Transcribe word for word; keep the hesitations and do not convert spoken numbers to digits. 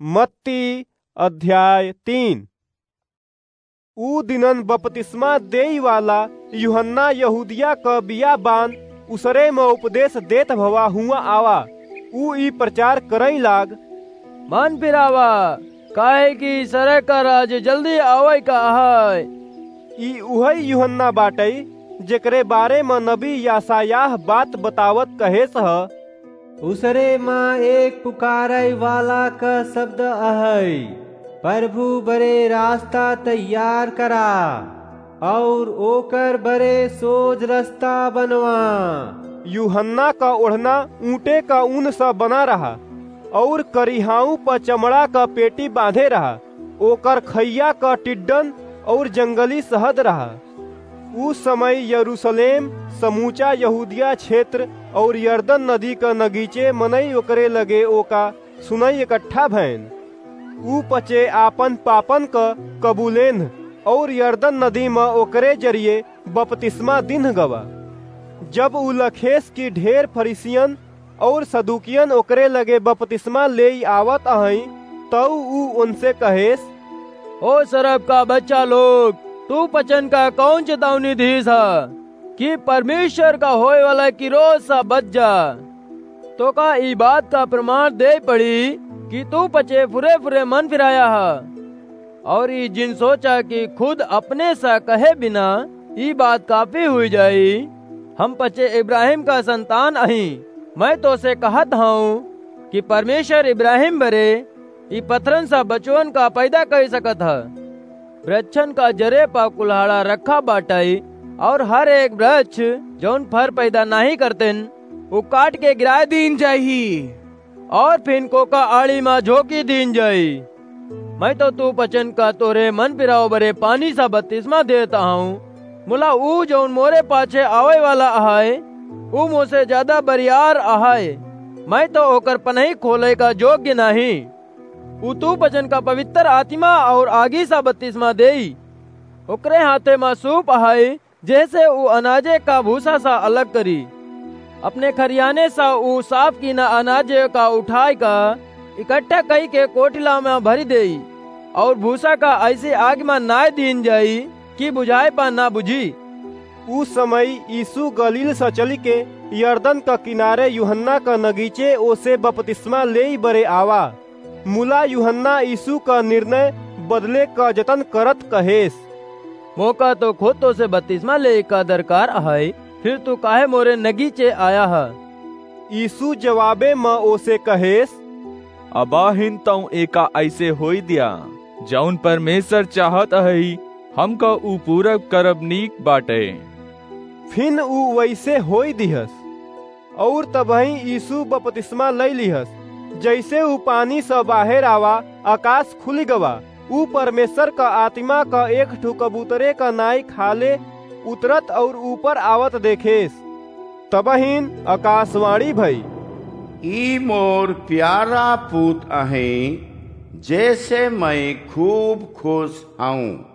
मत्ती अध्याय तीन। ऊ दिनन बपतिस्मा देई वाला यूहन्ना यहूदिया क बियाबान उसरे म उपदेश देत भवा हुआँ आवा। ऊ ई प्रचार करई लाग, मन फिरावा, काहे कि सरे का राज जल्दी आवै का है। ई उहई यूहन्ना बाटई, जेकरे बारे म नबी यासायाह बात बतावत कहेस ह, उसरे म एक पुकारै वाला क शब्द अहै, प्रभु बरे रास्ता तैयार करा, और ओकर बरे सोज रस्ता बनवा। यूहन्ना क ओढ़ना ऊँटे क ऊन स बना रहा, और करिहाऊ प चमड़ा क पेटी बाँधे रहा। ओकर खइया क टिड्डन और जंगली शहद रहा। ऊ समय यरूशलेम, समूचा यहूदिया क्षेत्र और यरदन नदी क नगीचे मनई ओकरे लगे ओका सुनई इकट्ठा भएन। ऊ पचे आपन पापन क कबूलेन्ह और यरदन नदी म ओकरे जरिए बपतिस्मा दिन्ह गवा। जब ऊ लखेस कि ढेर फरीसियन और सदूकियन ओकरे लगे बपतिस्मा लेई आवत अहई, तऊ ऊ उनसे कहेस, "ओ सरब का बच्चा लोग, तू पचन का कौन चेतावनी दीस ह कि परमेश्वर का होए वाला किरोध सा बच जा? तो का ई बात का प्रमाण दे पड़ी कि तू पचे फुरे फुरे मन फिराया ह?" और ई जिन सोचा कि खुद अपने सा कहे बिना ई बात काफी हुई जाई, हम पचे इब्राहिम का संतान अही। मैं तो से कहत हूँ कि परमेश्वर इब्राहिम बरे ई पत्थरन सा बचवन का पैदा कर सकत ह। वृक्षन का जरे पा कुल्हाड़ा रखा बाटई, और हर एक वृक्ष जौन फर पैदा नहीं करतेन, उ काट के गिराए दीन जाही। और फिन कोका आड़ी मा झोंकी दीन जाई। मैं तो तू पचन का तोरे मन पिराव बरे पानी सा बपतिस्मा देत आऊं, मुला ऊ जौन मोरे पाछे आवे वाला अहाय, ऊ मोसे ज्यादा बरियार अहाय। मैं तो ओकर पनही खोले का योग्य नहीं। ऊ तू पचन का पवित्र आत्मा और आगी सा बपतिस्मा देई। ओकरे हाथे मा सूप अहाय, जैसे ऊ अनाजे का भूसा सा अलग करी। अपने खरियाने सा ऊ साफ कीना अनाजे का उठाए का इकट्ठा कई के कोठिला में भरी देई, और भूसा का ऐसे आग में नाय दीन जाई कि बुझाए पा ना बुझी। ऊ समय यीशु गलील सा चली के यरदन का किनारे यूहन्ना का नगीचे ओसे बपतिस्मा लेई बरे आवा। मुला यूहन्ना यीशु का निर्णय बदले का जतन करत कहेस, मोका तो खुद तो से बपतिस्मा लेई का दरकार अहै, फिर तू काहे मोरे नगीचे आया ह? यीशु जवाबे म ओसे कहेस, अबाहिन तऊ एका ऐसे होई दिया, जौन परमेश्वर चाहत अहै, हमका ऊ पूरा करब नीक बाटे। फिन ऊ वैसे होई दिहस। और तबहीं यीशु बपतिस्मा लई लिहस। जैसे ऊ पानी स बाहेर आवा, आकाश खुलि गवा। ऊ परमेश्वर क आत्मा क एक ठो कबूतरे क नाई खाले उतरत और ऊपर आवत देखेस। तबहिन आकाशवाणी भई, "ई मोर प्यारा पूत अहें, जैसे मैं खूब खुश हऊँ।"